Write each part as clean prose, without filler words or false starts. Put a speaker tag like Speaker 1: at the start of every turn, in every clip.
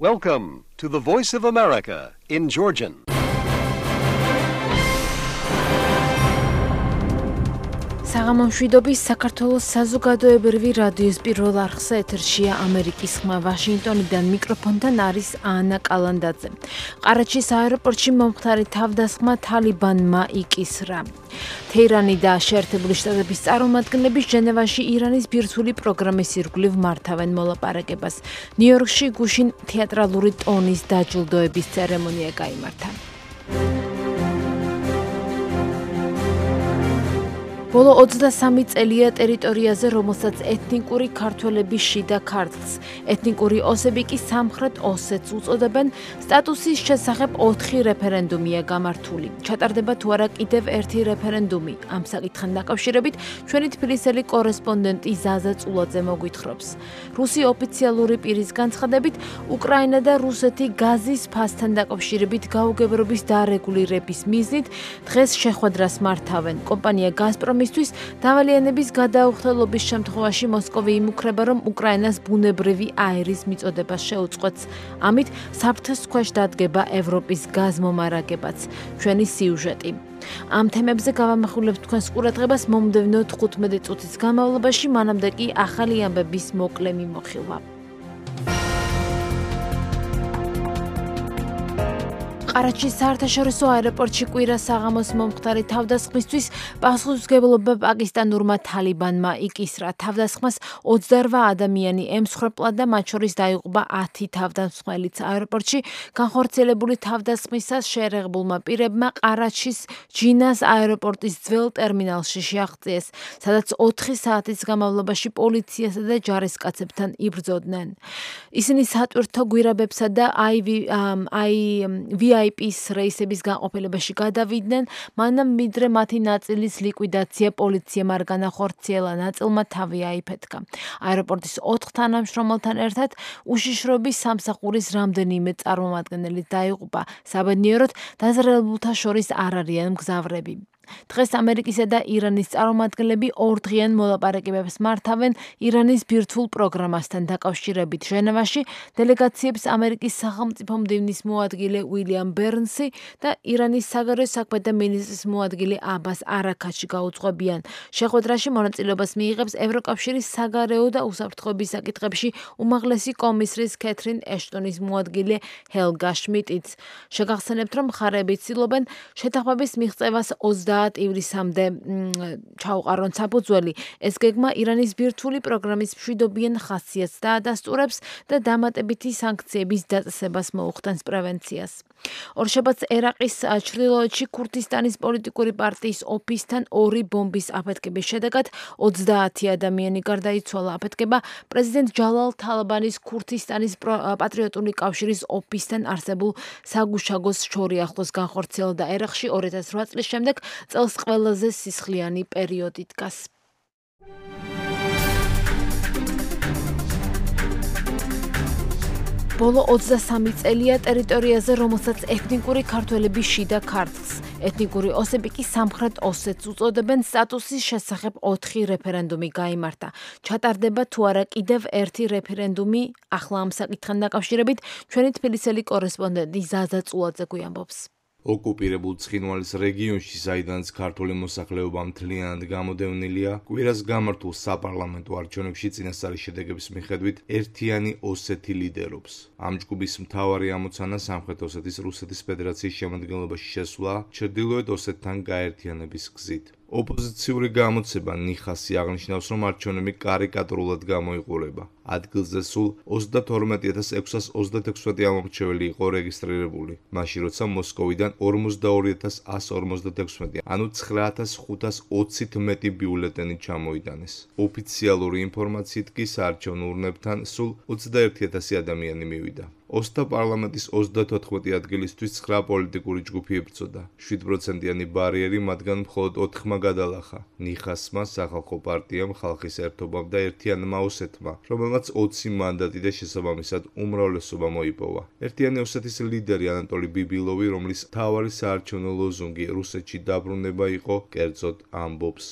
Speaker 1: Welcome to the Voice of America in Georgian.
Speaker 2: საღამომშვიდობის საქართველოს საზოგადოებრივი რადიოს პირველ არხზე ეთერშია ამერიკის ხმა ვაშინგტონიდან მიკროფონთან არის ანა კალანდაძე. ყარაჩის აეროპორტში მომხდარი თავდასხმა თალიბანმა იკისრა. თეირანი და შეერთებული შტატების წარმომადგენლები ჟენევაში ირანის ბირთვული პროგრამის ირგვლივ მართავენ მოლაპარაკებას. ნიუ-იორკში გუშინ თეატრალური ტონის დაჯილდოების ცერემონია გაიმართა. ბოლო 23 წელია ტერიტორიაზე, რომელსაც ეთნიკური ქართველები შიდა ქართლს, ეთნიკური ოსები კი სამხრეთ ოსეთს უწოდებენ, სტატუსის შესახებ 4 რეფერენდუმია გამართული. ჩატარდება თუ არა კიდევ ერთი რეფერენდუმი. ამ საკითხთან დაკავშირებით ჩვენი თბილისელი კორესპონდენტი ზაზა წულაძე მოგვითხრობს. რუსი ოფიციალური პირის განცხადებით, უკრაინა და რუსეთი გაზის ფასთან დაკავშირებით გაუგებრობის დარეგულირების მიზნით დღეს შეხვედრას მართავენ. კომპანია გაზპრომი მისთვის დავალიანების გადაუხდელობის შემთხვევაში მოსკოვი იმუქრება, რომ უკრაინას ბუნებრივი აერის მიწოდება შეუწყვეტს. ამით საფრთხის ქვეშ დადგება ევროპის გაზმომარაგებაც. ჩვენი სიუჟეტი. ამ თემებზე გავამახვილებთ თქვენს ყურადღებას მომდევნო 15 წუთის განმავლობაში, მანამდე კი ახალი ამბების მოკლე მიმოხილვა. ყარაჩის საერთაშორისო აეროპორტში კვირა საღამოს მომხდარი თავდასხმისთვის პასუხისმგებლობა პაკისტანურმა თალიბანმა იკისრა. თავდასხმას 28 ადამიანი ემსხვერპლა და მათ შორის დაიღუპა 10 თავდამსხმელიც. აეროპორტში განხორციელებული თავდასხმისას შეერაღებულმა პირებმა ყარაჩის ჯინას აეროპორტის ძველ ტერმინალში შეაღწიეს, სადაც 4 საათის განმავლობაში პოლიციასა და ჯარისკაცებთან იბრძოდნენ. ისინი სატვირთო გვირაბებსა და VIP-ის რეისების განყოფილებაში გადავიდნენ, მანამ მიდრე მათი ნაწილის ლიკვიდაცია პოლიციამ არ განახორციელა, ნაწილმა თავი აიფეთქა. აეროპორტის 4 თანამშრომელთან ერთად უშიშროების სამსახურის რამდენიმე წარმომადგენელი დაიღუპა. საბედნიეროდ დაზრალებულთა შორის არ არიან მგზავრები. დღეს ამერიკისა და ირანის წარმომადგენლები ორდღიან მოლაპარაკებებს მართავენ ირანის ბირთვულ პროგრამასთან დაკავშირებით. ჟენევაში დელეგაციებს ამერიკის სახელმწიფო მდივნის მოადგილე უილიამ ბერნსი და ირანის საგარეო საქმეთა მინისტრის მოადგილე აბას არაქაჩი გაუძღვებიან. შეხვედრაში მონაწილეობას მიიღებს ევროკავშირის საგარეო და უსაფრთხოების საკითხებში უმაღლესი კომისრის კეთრინ ეშტონის მოადგილე ჰელგა შმიდტიც. შეგახსენებთ, რომ მხარეები ცდილობენ შეთანხმების მიღწევას 20 ივლისამდე ჩაუყარონ საფუძველი. ეს გეგმა ირანის ბირთვული პროგრამის მშვიდობიან ხასიათს დაადასტურებს და დამატებითი სანქციების დაწესებას მოუხდენს პრევენციას. ორშაბათს ერაყის ჩრდილოეთში ქურთისტანის პოლიტიკური პარტიის ოფისთან 2 ბომბის აფეთქების შედეგად 30 ადამიანი გარდაიცვალა. აფეთქება პრეზიდენტ ჯალალ თალაბანის ქურთისტანის პატრიოტული კავშირის ოფისთან არსებულ საგუშაგოს შორი ახლოს განხორციელდა. ერაყში 2008 წლის შემდეგ წელს ყველაზე სისხლიანი პერიოდი დგას. ბოლო 23 წელია ტერიტორიაზე, რომელსაც ეთნიკური ქართველები შიდა ქართლს, ეთნიკური ოსები კი სამხრეთ ოსეთს უწოდებენ, სტატუსის შესახებ 4 რეფერენდუმი გაიმართა. ჩატარდება თუ არა კიდევ ერთი რეფერენდუმი, ახლა ამ საკითხთან დაკავშირებით ჩვენი თბილისელი კორესპონდენტი ზაზა წულაძე გვიამბობს.
Speaker 3: ოკუპირებულ ცხინვალის რეგიონში, საიდანაც ქართული მოსახლეობა მთლიანად გამოდევნილია, კვირას გამართულ საპარლამენტო არჩევნებში წინასწარი შედეგების მიხედვით ერთიანი ოსეთი ლიდერობს. ამ ჯგუფის მთავარი ამოცანა სამხრეთ ოსეთის რუსეთის ფედერაციის შემადგენლობაში შესვლა ჩრდილოეთ ოსეთთან გაერთიანების გზით. ოპოზიციური გამოცება ნიხასი აღნიშნავს, რომ არჩევნები კარიკატურულად გამოიყურება. ადგილზე სულ 22626 ამომრჩეველი იყო რეგისტრირებული, მაშინ როცა მოსკოვიდან 42156, ანუ 9520-ით მეტი ბიულეტენი ჩამოიტანეს. ოფიციალური ინფორმაციით კი საარჩევნო ურნებთან სულ 21000 ადამიანი მივიდა. ოსთა პარლამენტის 34 ადგილისთვის 9 პოლიტიკური ჯგუფი იბრძოდა. 7%-იანი ბარიერი მათგან მხოლოდ 4-მა გადალახა. ნიხასმა, სახალხო პარტიამ, ხალხის ერთობამ და ერთიანმა ოსეთმა, რომელმაც 20 მანდატი და შესაბამისად უმრავლესობა მოიპოვა. ერთიანი ოსეთის ლიდერი ანატოლი ბიბილოვი, რომლის მთავარი საარჩევნო ლოზუნგი რუსეთში დაბრუნება იყო, კერძოდ ამბობს.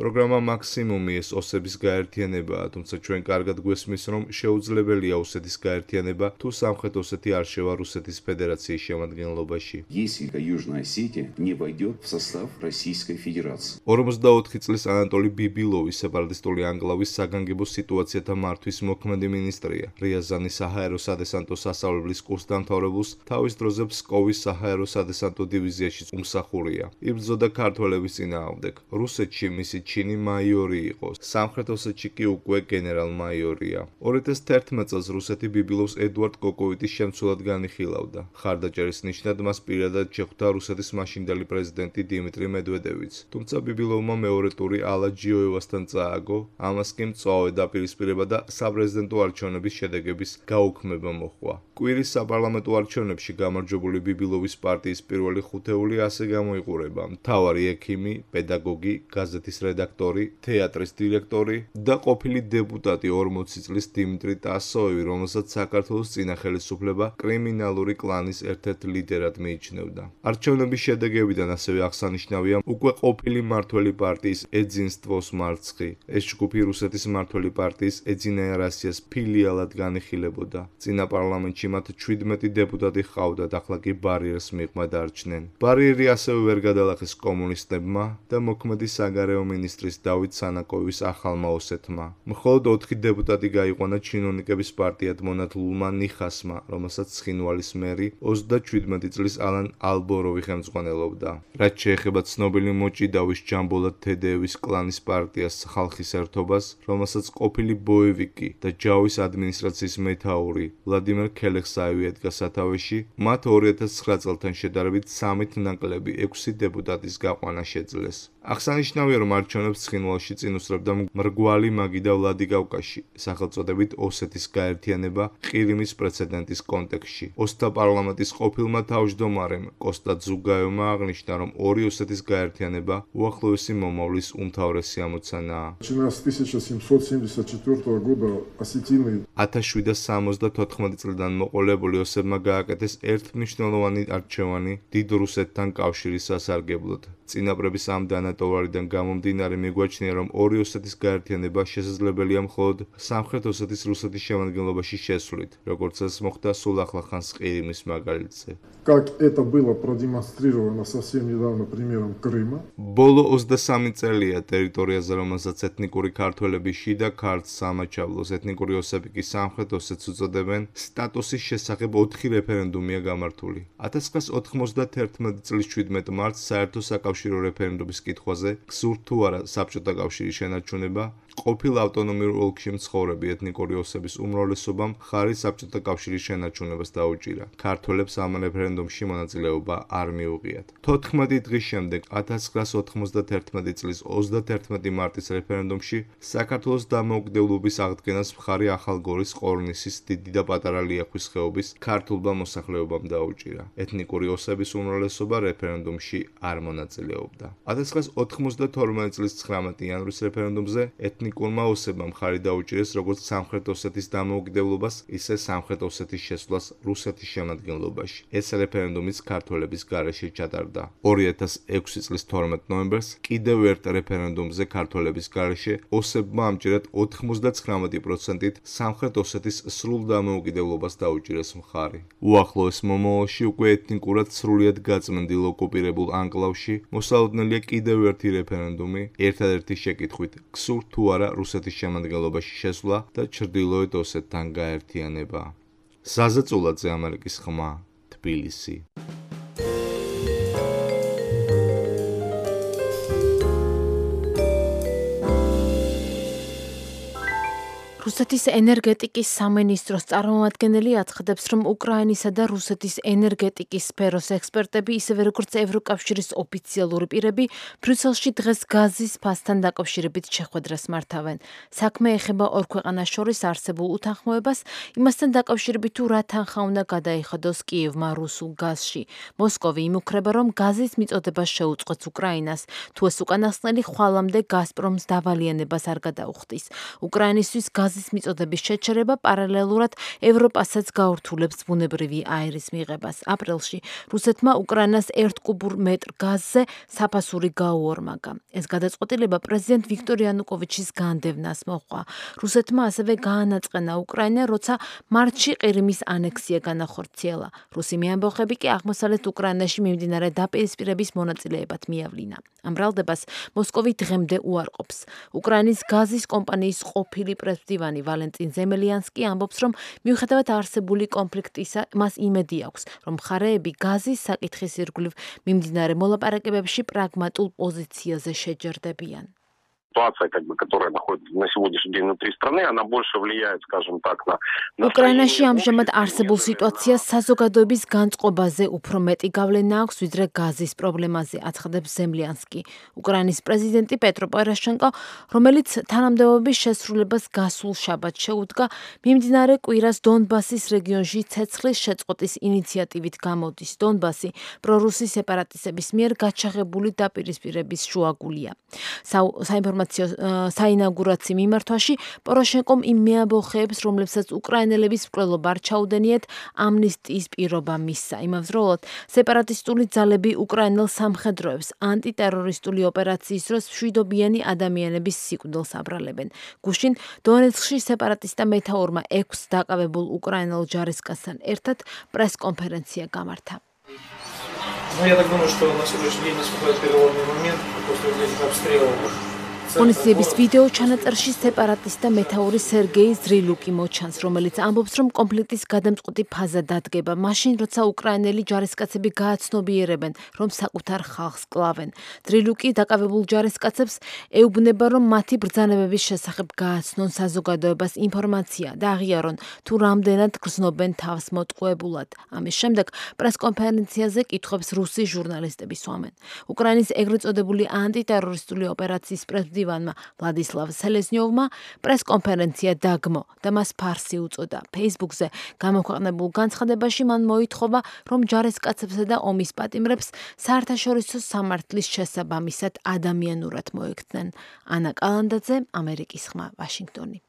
Speaker 3: პროგრამა მაქსიმუმი ეს ოსების გაერთიანებაა, თუმცა ჩვენ კარგად გვესმის, რომ შეუძლებელი შეუძლებელია ოსეთის გაერთიანება, თუ სამხრეთ ოსეთი არ შევა რუსეთის ფედერაციის შემადგენლობაში.
Speaker 4: Если Южная Осетия не войдет в состав Российской Федерации.
Speaker 3: 44 წლის ანატოლი ბიბილოვი სეპარატისტული ანკლავის საგანგებო სიტუაციათა მართვის მოქმედი მინისტრია. რიაზანის საჰაერო სადესანტო სასწავლებლის კურსს დამთავრებულს თავის დროზე ფსკოვის საჰაერო სადესანტო დივიზიაში უმსახურია. იბრძოდა ქართველების წინააღმდეგ. რუსეთში მისი ჩინი მაიორი იყო. სამხრეთ ოსეთში კი უკვე გენერალ-მაიორია. 2011 წელს რუსეთი ბიბილოვს ედუარდ კოკოვიტის შემცვლად განიხილავდა. ხარდაჭერის ნიშნად მას პირადად შეხვდა რუსეთის მაშინდელი პრეზიდენტი დიმიტრი მედვედევიც. თუმცა ბიბილოვმა მეორე ტური ალა ჯიოევასთან წააგო, ამას კი მწვავე დაპირისპირება და საპრეზიდენტო არჩევნების შედეგების გაუქმება მოჰყვა. კვირის საპარლამენტო არჩევნებში გამარჯვებული ბიბილოვის პარტიის პირველი ხუთეული ასე გამოიყურება: მთავარი ექიმი, პედაგოგი, გაზეთის რედაქტორი, თეატრის დირექტორი და ყოფილი დეპუტატი 40 წლის დიმიტრი ტასოევი, რომელსაც საქართველოს წინა ხელისუფლება კრიმინალური კლანის ერთ-ერთ ლიდერად მიიჩნევდა. არჩევნების შედეგებიდან ასევე აღსანიშნავია უკვე ყოფილი მმართველი პარტიის ეძინსტვოს მარცხი. ეს ჯგუფი რუსეთის მმართველი პარტიის ეძინაია რასიას ფილიალად განიხილებოდა. წინა პარლამენტში მათ 17 დეპუტატი ჰყავდათ, ახლა კი ბარიერს მიღმა დარჩნენ. ბარიერი ასევე ვერ გადალახეს კომუნისტებმა და მოქმედი საგარეო მინისტრის დავით სანაკოვის ახალმა ოსეთმა. მხოლოდ 4 დეპუტატი გაიყვანა ჩინოვნიკების პარტიად მონათლულმა ნიხასმა, რომელსაც ცხინვალის მერი 37 წლის ალან ალბოროვი ხელმძღვანელობდა. რაც შეეხება ცნობილი მოჭიდავის ჯამბოლად თედეევის კლანის პარტიას ხალხის ერთობას, რომელსაც ყოფილი ბოევიკი და ჯავის ადმინისტრაციის მეთაური ვლადიმერ ქელეხსაევი ედგა სათავეში, მათ 2009 წელთან შედარებით 3 ნაკლები 6 დეპუტატის გაყვანა შეძლეს. აღსანიშნავია, რომ არჩევნებს ცხინვალში წინ უსწრებდა მრგვალი მაგიდა ვლადიკავკაში, სახელწოდებით ოსეთის გაერთიანება ყირიმის პრეცედენტის კონტექსტში. ოსთა პარლამენტის ყოფილმა თავმჯდომარემ კოსტა ძუგაევმა აღნიშნა, რომ ორი ოსეთის გაერთიანება უახლოესი მომავლის უმთავრესი ამოცანაა.
Speaker 5: 1774 года осетины
Speaker 3: 1774 წლიდან მოყოლებული ოსებმა გააკეთეს ერთმნიშვნელოვანი არჩევანი დიდ რუსეთთან კავშირის სასარგებლოდ. წინაპრების ამ დანატოვარიდან გამომდინარე მიგვაჩნია, რომ ორი ოსეთის გაერთიანება შესაძლებელია მხოლოდ სამხრეთ ოსეთის რუსეთის შემადგენლობაში შესვლით, როგორც ეს მოხდა სულ ახლახანს ყირიმის მაგალითზე.
Speaker 5: как это было продемонстрировано совсем недавно примером Крыма.
Speaker 3: ბოლო 23 წელია ტერიტორიაზე, რომელსაც ეთნიკური ქართველები შიდა ქართლს სამაჩაბლოს, ეთნიკური ოსები კი სამხრეთ ოსეთს უწოდებენ, სტატუსის შესახებ 4 რეფერენდუმია გამართული. 1991 წლის 17 მარტს საერთო საკავშირო რეფერენდუმის კითხვაზე გსურთ თუ არა საბჭოთა კავშირის შენარჩუნება, ყოფილ ავტონომიურ ოლქში მცხოვრები ეთნიკური ოსების უმრავლესობამ ხარი საბჭოთა კავშირის შენარჩუნებას დაუჭირა. ქართველებს ამ რეფერენდუმში მონაწილეობა არ მიუღიათ. 14 დღის შემდეგ 1991 წლის 31 მარტის რეფერენდუმში საქართველოს დამოუკიდებლობის აღდგენას მხარი ახალგორის, ყორნისის, დიდი და პატარა ლიახვის ხეობის ქართულმა მოსახლეობამ დაუჭირა. ეთნიკური ოსების უმრავლესობა რეფერენდუმში არ მონაწილეობდა. 1992 წლის 19 იანვრის რეფერენდუმზე ეთნიკურმა ოსებმა მხარი დაუჭირეს როგორც სამხრეთ ოსეთის დამოუკიდებლობას, ისე სამხრეთ ოსეთის შესვლას რუსეთის შემადგენლობაში. ეს რეფერენდუმიც ქართველების გარეშე ჩატარდა. 2006 წლის 12 ნოემბერს კიდევ ერთ რეფერენდუმზე ქართველების გარეშე ოსებმა ამჯერად 99%-ით სამხრეთ ოსეთის სრულ დამოუკიდებლობას დაუჭირეს მხარი. უახლოეს მომავალში უკვე ეთნიკურად სრულიად გაწმენდილ ოკუპირებულ ანკლავში მოსალოდნელია კიდევ ერთი რეფერენდუმი, ერთადერთი შეკითხვით: გსურთ თუ არა რუსეთის შემადგენლობაში შესვლა და ჩრდილოეთ ოსეთთან გაერთიანება. საზეწულაძე, ამერიკის ხმა, თბილისი.
Speaker 2: რუსეთის ენერგეტიკის სამინისტროს წარმომადგენელი აცხადებს, რომ უკრაინისა და რუსეთის ენერგეტიკის სფეროს ექსპერტები, ისევე როგორც ევროკავშირის ოფიციალური პირები, ბრიუსელში დღეს გაზის ფასთან დაკავშირებით შეხვედრას მართავენ. საქმე ეხება ორ ქვეყანას შორის არსებულ უთანხმოებას, იმასთან დაკავშირებით თუ რა თანხა უნდა გადაიხადოს კიევმა რუსულ გაზში. მოსკოვი იმუქრება, რომ გაზის მიწოდებას შეუწყობს უკრაინას, თუ ეს უკანასკნელი ხვალამდე გაზპრომს დავალიანებას არ გადაუხდის. უკრაინისთვის გაზის გაზის მიწოდების შეჩერება პარალელურად ევროპასაც გაურთულებს ბუნებრივი აირის მიღებას. აპრილში რუსეთმა უკრაინას 1 კუბურ მეტრ გაზზე საფასური გაუორმაგა. ეს გადაწყვეტილება პრეზიდენტ ვიქტორ იანუკოვიჩის განდევნას მოჰყვა. რუსეთმა ასევე გაანაწყენა უკრაინა, როცა მარტში ყირიმის ანექსია განახორციელა. რუსი მეამბოხები კი აღმოსავლეთ უკრაინაში მიმდინარე დაპირისპირების მონაწილეებად მიავლინა. ამ ბრალდებას მოსკოვი დღემდე უარყოფს. უკრაინის გაზის კომპანიის ყოფილი პრესმდივანი ვალენტინ ზემელიანსკი ამბობს, რომ მიუხედავად არსებული კონფლიქტისა, მას იმედი აქვს, რომ მხარეები გაზის საკითხის ირგვლივ მიმდინარე მოლაპარაკებებში პრაგმატულ პოზიციაზე შეჯერდებიან.
Speaker 6: Ситуация, которая находится на сегодняшний день внутри страны, она больше влияет, скажем так, на...
Speaker 2: უკრაინაში ამჟამად არსებულ სიტუაციას საზოგადოების განწყობაზე უფრო მეტი გავლენა აქვს, ვიდრე გაზის პრობლემაზე, აცხადებს ზემლიანსკი. უკრაინის პრეზიდენტი პეტრო პოროშენკო, რომელიც თანამდებობის შესრულებას გასულ შაბათს შეუდგა, მიმდინარე კვირას დონბასის რეგიონში ცეცხლის შეწყვეტის ინიციატივით გამოდის. დონბასი პრორუსი სეპარატისტების მიერ გაჩაღებული დაპირისპირების შუაგულია. საინაუგურაციო მიმართვაში პოროშენკომ იმ მეამბოხეებს, რომლებსაც უკრაინელების მკვლელობა არ ჩაუდენიათ, ამნისტიის პირობა მისცა. იმავდროულად, სეპარატისტული ძალები უკრაინელ სამხედროებს ანტიტერორისტული ოპერაციის დროს მშვიდობიანი ადამიანების სიკვდილს აბრალებენ. გუშინ დონეცკში სეპარატისტთა მეთაურმა 6 დაკავებულ უკრაინელ ჯარისკაცთან ერთად პრესკონფერენცია გამართა.
Speaker 7: Ну, я так думаю, что на сегодняшний день наступает переломный момент после этих обстрелов.
Speaker 2: ღონისძიების ვიდეო ჩანაწერში სეპარატისტთა მეთაური სერგეი ზრილუკი მოჩანს, რომელიც ამბობს, რომ კონფლიქტის გადამწყვეტი ფაზა დადგება მაშინ, როცა უკრაინელი ჯარისკაცები გააცნობიერებენ, რომ საკუთარ ხალხს კლავენ. ზრილუკი დაკავებულ ჯარისკაცებს ეუბნება, რომ მათი ბრძანებების შესახებ გააცნონ საზოგადოებას ინფორმაცია და აღიარონ, თუ რამდენად გრძნობენ თავს მოტყუებულად. ამის შემდეგ პრესკონფერენციაზე კითხვებს რუსი ჟურნალისტები სვამენ. უკრაინის ეგრეთ წოდებული ანტიტერორისტული ოპერაციის პრეზიდენტმა ვლადისლავ სელეზნიოვმა პრესკონფერენცია დაგმო და მას ფარსი უწოდა. Facebook-ზე გამოქვეყნებულ განცხადებაში მან მოითხოვა, რომ ჯარისკაცებსა და ომის პატიმრებს საერთაშორისო სამართლის შესაბამისად ადამიანურად მოექცნენ. ანა კალანდაძე, ამერიკის ხმა, ვაშინგტონი.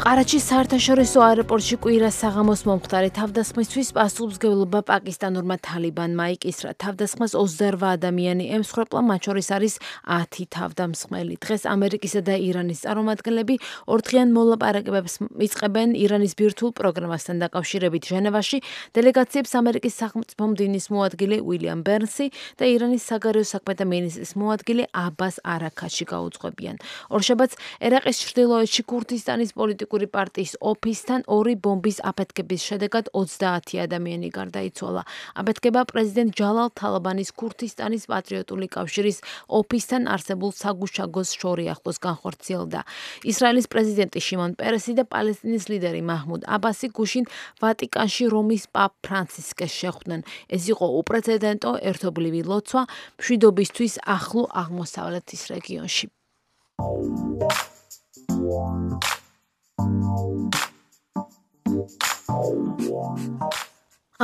Speaker 2: ყარაჩის საერთაშორისო აეროპორტში კვირას საღამოს მომხდარი თავდასხმისთვის პასუხისმგებლობა პაკისტანურმა თალიბანმა იკისრა. თავდასხმას 28 ადამიანი ემსხვერპლა, მათ შორის არის 10 თავდამსხმელი. დღეს ამერიკისა და ირანის წარმომადგენლები ორდღიან მოლაპარაკებებს იწყებენ ირანის ბირთვულ პროგრამასთან დაკავშირებით. ჟენევაში დელეგაციებს ამერიკის სახელმწიფო მდივნის მოადგილე უილიამ ბერნსი და ირანის საგარეო საქმეთა მინისტრის მოადგილე აბას არაქაში გაუძღვებიან. ორშაბათს ერაყის ჩრდილოეთში ქურთისტანის პოლიტიკური პარტიის ოფისთან 2 ბომბის აფეთქების შედეგად 30 ადამიანი გარდაიცვალა. აფეთქება პრეზიდენტ ჯალალ თალაბანის ქურთისტანის პატრიოტული კავშირის ოფისთან არსებულ საგუშაგოს შორი ახლოს განხორციელდა. ისრაელის პრეზიდენტი შიმონ პერესი და პალესტინის ლიდერი მაჰმუდ აბასი გუშინ ვატიკანში რომის პაპ ფრანცისკეს შეხვდნენ. ეს იყო უპრეცედენტო ერთობლივი ლოცვა მშვიდობისთვის ახლო აღმოსავლეთის რეგიონში.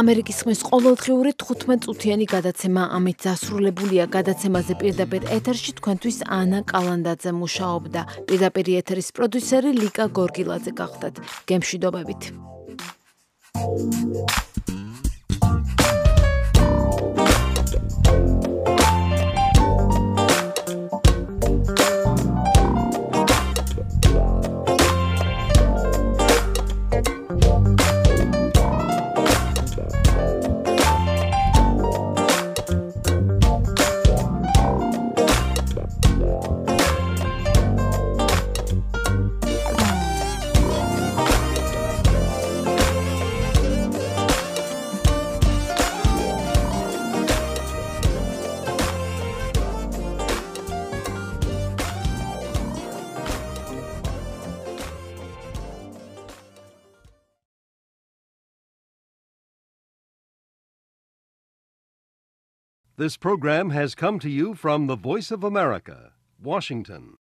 Speaker 2: ამერიკის ხმის ყოველდღიური 15 წუთიანი გადაცემა ამით დასრულებულია. გადაცემაზე პირდაპირ ეთერში თქვენთვის ანა კალანდაძე მუშაობდა. პირდაპირ ეთერის პროდიუსერი ლიკა გორგილაძე გახდათ. გემშვიდობებით.
Speaker 1: This program has come to you from the Voice of America, Washington.